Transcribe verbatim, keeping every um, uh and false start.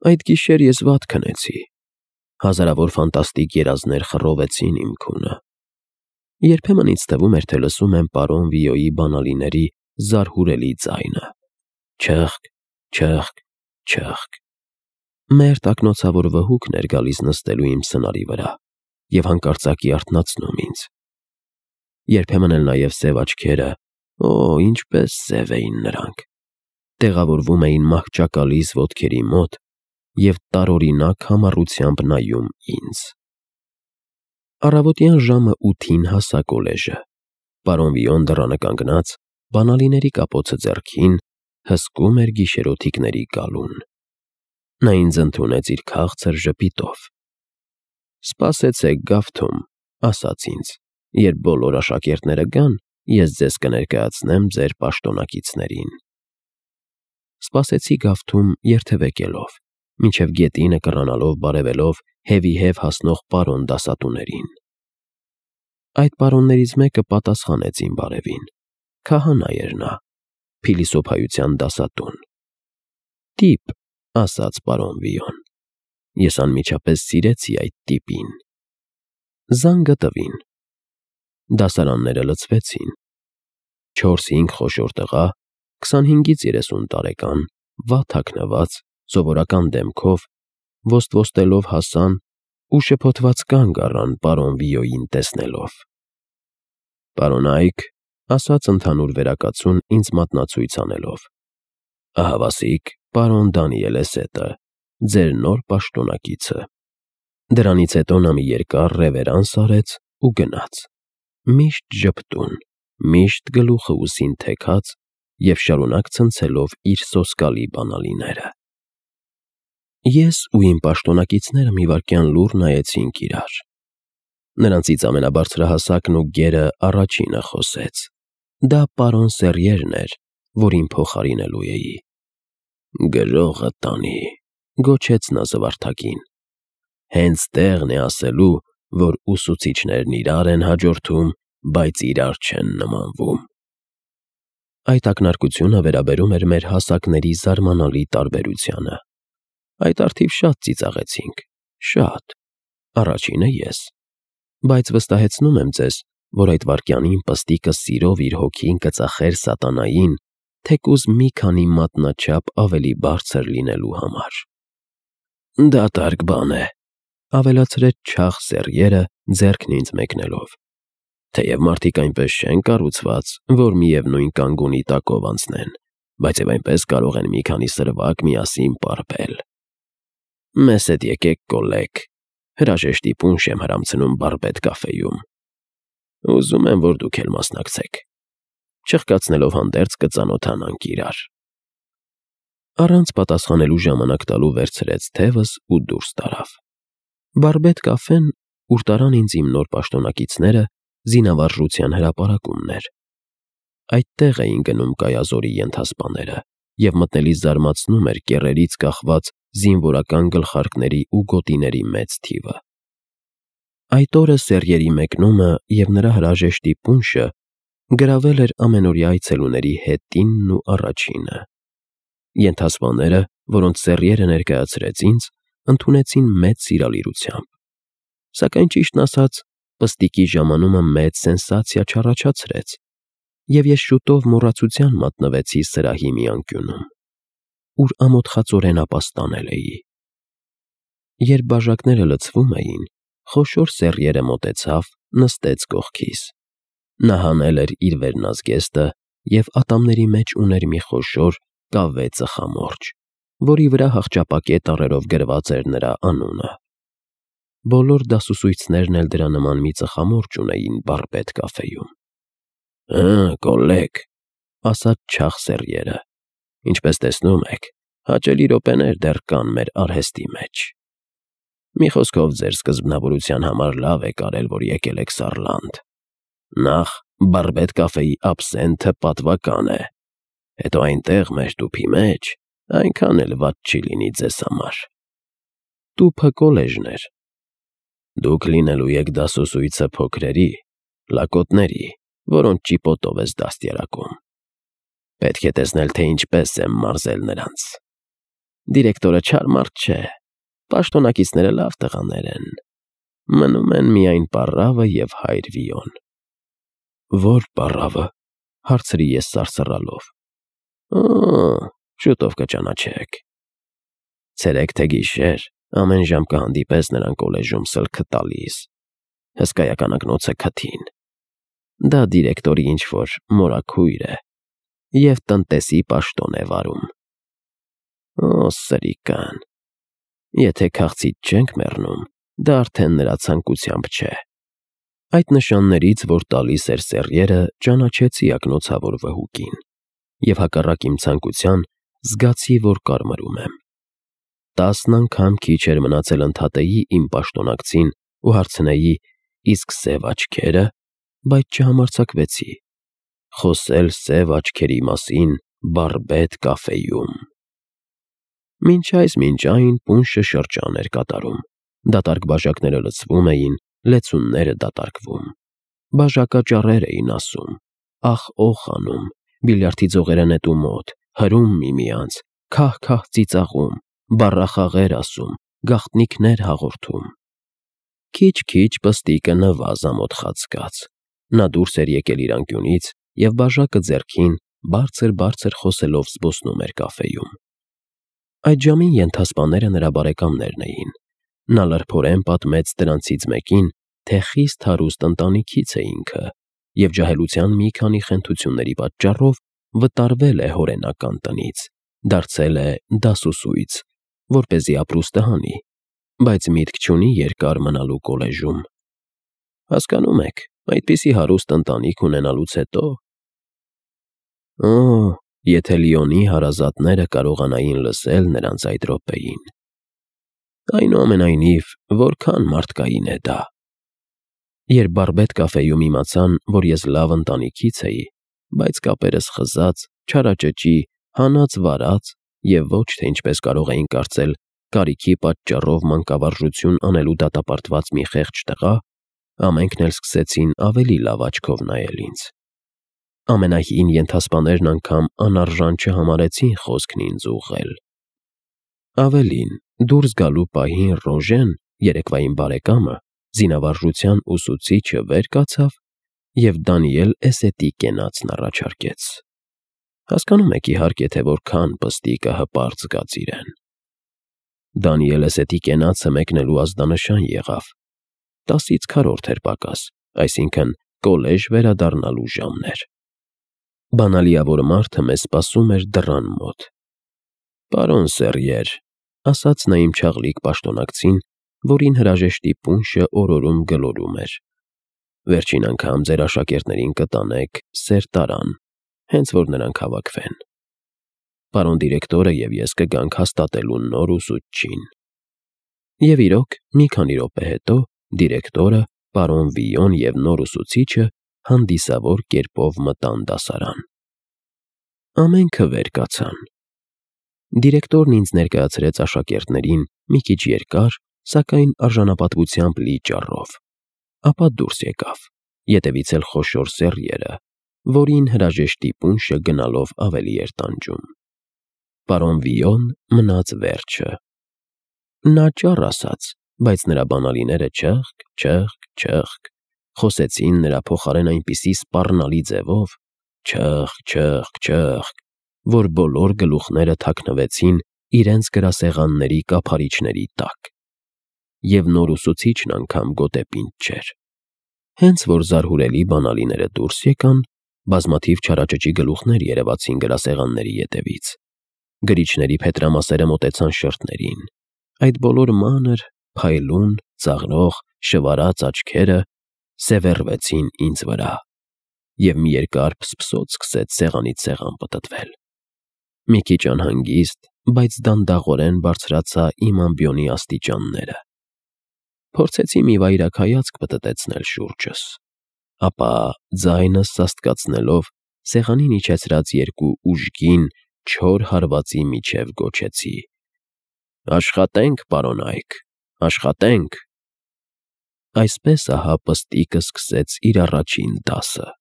Այդ գիշեր ես վատ քնեցի։ Հազարավոր ֆանտաստիկ երազներ խռովեցին իմ քունը։ Երբեմն ինձ թվում էր, թե լսում եմ պարոն Վիոյի բանալիների զարհուրելի ձայնը. չըխկ, չըխկ, չըխկ։ Մեր տակնոցավոր վհուկն էր գալիս նստելու իմ սնարի վրա և հանկարծակի արթնացնում ինձ։ Երբեմն էլ նաև սև աչքերը, օ, ինչպես սև էին նրանք, տեղավորվում էին մահճակալիս ոտքերի մոտ և տարօրինակ համառությամբ նայում ինձ։ Առավոտյան ժամը ութին հասա կոլեժը։ Պարոն Վիոն դռանը կանգնած, բանալիների կապոցը ձեռքին, հսկում էր գիշերօթիկների գալուն։ Նա ինձ ընդունեց իր քաղցր ժպիտով։ «Սպասեցեք գավթում», ասաց ինձ, «երբ բոլոր աշակերտները գան, ես ձեզ կներկայացնեմ ձեր պաշտոնակիցներին»։ Սպասեցի գավթում երթևեկելով, մինչև գետինը կռանալով բարևելով հևիհև հասնող պարոն դասատուներին։ Այդ պարոններից մեկը պատասխանեց իմ բարևին։ Քահանա էր նա, փիլիսոփայության դասատուն։ «Տիպ», ասաց պարոն Վիոն։ Ես անմիջապես սիրեցի այդ տիպին։ Զանգը տվին։ Դասարանները լցվեցին։ Չորս֊հինգ խոշոր տղա, քսանհինգից երեսուն տարեկան, վատ հագնված, սովորական դեմքով, ոստ-ոստելով հասան ու շփոթված կանգ առան պարոն Վիոյին տեսնելով։ «Պարոն Այք», ասաց ընդհանուր վերակացուն ինձ մատնացույց անելով, «ահավասիկ պարոն Դանիել Էսետը, ձեր նոր պաշտոնակիցը»։ Դրանից հետո նա մի երկար ռևերանս արեց ու գնաց, միշտ ժպտուն, միշտ գլուխը ուսին թեքած և շարունակ ցնցելով իր սոսկալի բանալիները։ Ես ու իմ պաշտոնակիցները մի վայրկյան լուռ նայեցինք իրար։ Նրանցից ամենաբարձրահասակն ու գերը առաջինը խոսեց։ Դա պարոն Սեռիերն էր, որին փոխարինելու էի։ «Գրողը տանի», գոչեց նա զվարթակին։ «Հենց տեղն է ասելու, որ ուսուցիչներն իրար են հաջորդում, բայց իրար չեն նմանվում»։ Այդ ակնարկությունը վերաբերում էր մեր հասակների զարմանալի տարբերությանը։ Այդ առթիվ շատ ծիծաղեցինք, շատ, առաջինը ես, բայց վստահեցնում եմ ձեզ, որ այդ վայրկյանին պստիկը սիրով իր հոգին կծախեր սատանային, թեկուզ մի քանի մատնաչափ ավելի բարձր լինելու համար։ «Դատարկ բան է», ավելացրեց չաղ Սեռիերը, ձեռքն ինձ մեկնելով, «թեև մարդիկ այնպես չեն կառուցված, որ միևնույն կանգունի տակով անցնեն, բայց և այնպես կարող են մի քանի սրվակ միասին պարպել։ Մեզ հետ եկեք, կոլեգ, հրաժեշտի պունշ եմ հրամցնում Բարբետ կաֆեում։ Ուզում եմ, որ դուք էլ մասնակցեք։ Չխկացնելով հանդերձ կծանոթանանք իրար»։ Առանց պատասխանելու ժամանակ տալու վերցրեց թևս ու դուրս տարավ։ Բարբետ կաֆեն, ուր տարան ինձ իմ նոր պաշտոնակիցները, զինավարժության հրապարակումն էր։ Այդտեղ էին գնում կայազորի ենթասպաները, և մտնելիս զարմացնում էր կեռերից կախված զինվորական գլխարկների ու գոտիների մեծ թիվը։ Այդ օրը Սեռիերի մեկնումը և նրա հրաժեշտի պունշը գրավել էր ամենօրյա այցելուների հետինն ու առաջինը։ Ենթասպաները, որոնց Սեռիերը ներկայացրեց ինձ, ընդունեցին մեծ սիրալիրությամբ։ Սակայն ճիշտն ասած, պստիկի ժամանումը մեծ սենսացիա չառաջացրեց, և ես շուտով մոռացության մատնվեցի սրահի մի անկյունում, ուր ամոթխածորեն ապաստանել էի։ Երբ բաժակները լցվում էին, խոշոր Սեռիերը մոտեցավ, նստեց կողքիս։ Նա հանել էր իր վերնազգեստը և ատամների մեջ ուներ մի խոշոր կավե ծխամորճ, որի վրա հախճապակե տառերով գրված էր նրա անունը։ Բոլոր դասուսույցներն էլ դրա նման մի ծխամորճ ունեին Բարբետ կաֆեում։ «Հը, կոլեգ», ասաց չաղ Սեռիերը, «ինչպես տեսնում եք, հաճելի րոպեներ դեռ կան մեր արհեստի մեջ։ Մի խոսքով, ձեր սկզբնավորության համար լավ եք արել, որ եկել եք Սարլանդ։ Նախ, Բարբետ կաֆեի աբսենթը պատվական է, հետո այնտեղ, մեր տուփի մեջ, այնքան էլ վատ չի լինի ձեզ համար»։ Տուփը կոլեժն էր։ «Դուք լինելու եք դասոսույցը փոքրերի, լակոտների, որոնց ճիպոտով ես դաստիարակում։ Պետք է տեսնել, թե ինչպես եմ մարզել նրանց։ Դիրեկտորը չար մարդ չէ, պաշտոնակիցները լավ տղաներ են, մնում են միայն պառավը և հայր Վիոն։ Ո՞ր պառավը, հարցրի ես սարսռալով։ Օ՜, շուտով կճանաչեք։ Ցերեկ թե գիշեր ամեն ժամ կհանդիպես նրան կոլեժում սլքը տալիս, հսկայական ակնոց է քթին։ Դա դիրեկտորի ինչ-որ մորաքույր է և տնտեսի պաշտոն է վարում։ Օ, սրիկան, եթե քաղցից չենք մեռնում, դա արդեն նրա ցանկությամբ չէ։ Այդ նշաններից, որ տալիս էր սեռիերը, ճանաչեցի ակնոցավոր վհուկին և հակառակ իմ ցանկության զգացի, որ կարմրում եմ։ Տասն անգամ քիչ էր մնացել ընդհատեի իմ պաշտոնակցին ու հարցնեի՝ իսկ սև աչքե՞րը, բայց չհամարձակվեցի խոսել սև աչքերի մասին բարբետ կաֆեյում։ Մինչ այս մինչ այն պունշը շրջան էր կատարում, դատարկ բաժակները լցվում էին, լեցունները դատարկվում, բաժակաճառեր էին ասում, ախ֊օխ անում, բիլիարդի ձողերը նետում մոտ, հրում միմյանց, քահ֊քահ ծիծաղում, բառախաղեր ասում, գաղտնիքներ հաղորդում։ Քիչ-քիչ պստիկը նվազ ամոթխած գաց, նա դուրս էր եկել իր անկյունից և բաժակը ձեռքին բարձր֊բարձր խոսելով զբոսնում էր կաֆեյում։ Այդ ժամին ենթասպաները նրա բարեկամներն էին։ Նա լրբորեն պատմեց դրանցից մեկին, թե խիստ հարուստ ընտանիքից է ինքը և ջահելության մի քանի խենթությունների պատճառով վտարվել է հորենական տնից, դարձել է դասուսույց, որպեսզի ապրուստը հանի, բայց միտք չունի երկար մնալու կոլեժում։ Հասկանում եք, այդպիսի հարուստ ընտանիք ունենալուց հետո… Օ, եթե Լիոնի հարազատները կարողանային լսել նրանց այդ րոպեին… Այնուամենայնիվ, որքան մարդկային է դա… Երբ բարբետ կաֆեյում իմացան, որ ես լավ ընտանիքից էի, բայց կապերս խզած, չարաճճի, հանած֊վարած և ոչ թե ինչպես կարող էին կարծել, կարիքի պատճառով մանկավարժություն անելու դատապարտված մի խեղճ տղա, ամենքն էլ սկսեցին ավելի լավ աչքով նայել ինձ։ Ամենահին ենթասպաներն անգամ անարժան չհամարեցին խոսքն ինձ ուղղել։ Ավելին, դուրս գալու պահին Ռոժեն, երեկվա իմ բարեկամը, զինավարժության ուսուցիչը, վեր կացավ և Դանիել Էսետի կենացն առաջարկեց։ Հասկանում եք, իհարկե, թե որքան պստիկը հպարտ զգաց իրեն։ Դանիել Էսետի կենացը մեկնելու ազդանշան եղավ։ Տասից քառորդ էր պակաս, այսինքն՝ կոլեժ վերադառնալու ժամն էր։ Բանալիավոր մարդը մեզ սպասում էր դռան մոտ։ Պարոն Սեռիեր, ասաց նա իմ չաղլիկ պաշտոնակցին, որին հրաժեշտի պունշը օրորում֊գլորում էր, վերջին անգամ ձեր աշակերտներին կտանեք սերտարան, հենց որ նրանք հավաքվեն։ Պարոն դիրեկտորը և ես կգանք հաստատելու նոր ուսուցչին։ Եվ իրոք, մի քանի րոպե հետո դիրեկտորը, պարոն Վիոն և նոր ուսուցիչը հանդիսավոր կերպով մտան դասարան։ Ամենքը վեր կացան։ Դիրեկտորն ինձ ներկայացրեց աշակերտներին մի քիչ երկար, սակայն արժանապատվությամբ լի ճառով, ապա դուրս եկավ, ետևից էլ խոշոր Սեռիերը, որին հրաժեշտի պունշը գնալով ավելի էր տանջում։ Պարոն Վիոն մնաց վերջը։ Նա ճառ ասաց, բայց նրա բանալիները չըխկ, չըխկ, չըխկ, խոսեցին նրա փոխարեն այնպիսի սպառնալի ձևով, չըխկ, չըխկ, չըխկ, որ բոլոր գլուխները թաքնվեցին իրենց գրասեղանների կափարիչների տակ։ Եվ նոր ուսուցիչն անգամ գոտեպինդ չէր։ Հենց որ զարհուրելի բանալիները դուրս եկան, բազմաթիվ չարաճճի գլուխներ երևացին գրասեղանների ետևից։ Գրիչների փետրամասերը մոտեցան շրթներին։ Այդ բոլոր մանր, փայլուն, ծաղրող, շվարած աչքերը սևեռվեցին ինձ վրա, և մի երկար փսփսոց սկսեց սեղանից սեղան պտտվել։ Մի քիչ անհանգիստ, բայց դանդաղորեն բարձրացա իմ ամբիոնի աստիճանները։ Փորձեցի մի վայրագայացք պտտեցնել շուրջս, ապա ձայնս սաստկացնելով սեղանին իջեցրած երկու ուժգին, չոր հարվածի միջև գոչեցի. «Աշխատենք, պարոն Այք, աշխատենք»։ Այսպես ահա պստիկը սկսեց իր առաջին դասը։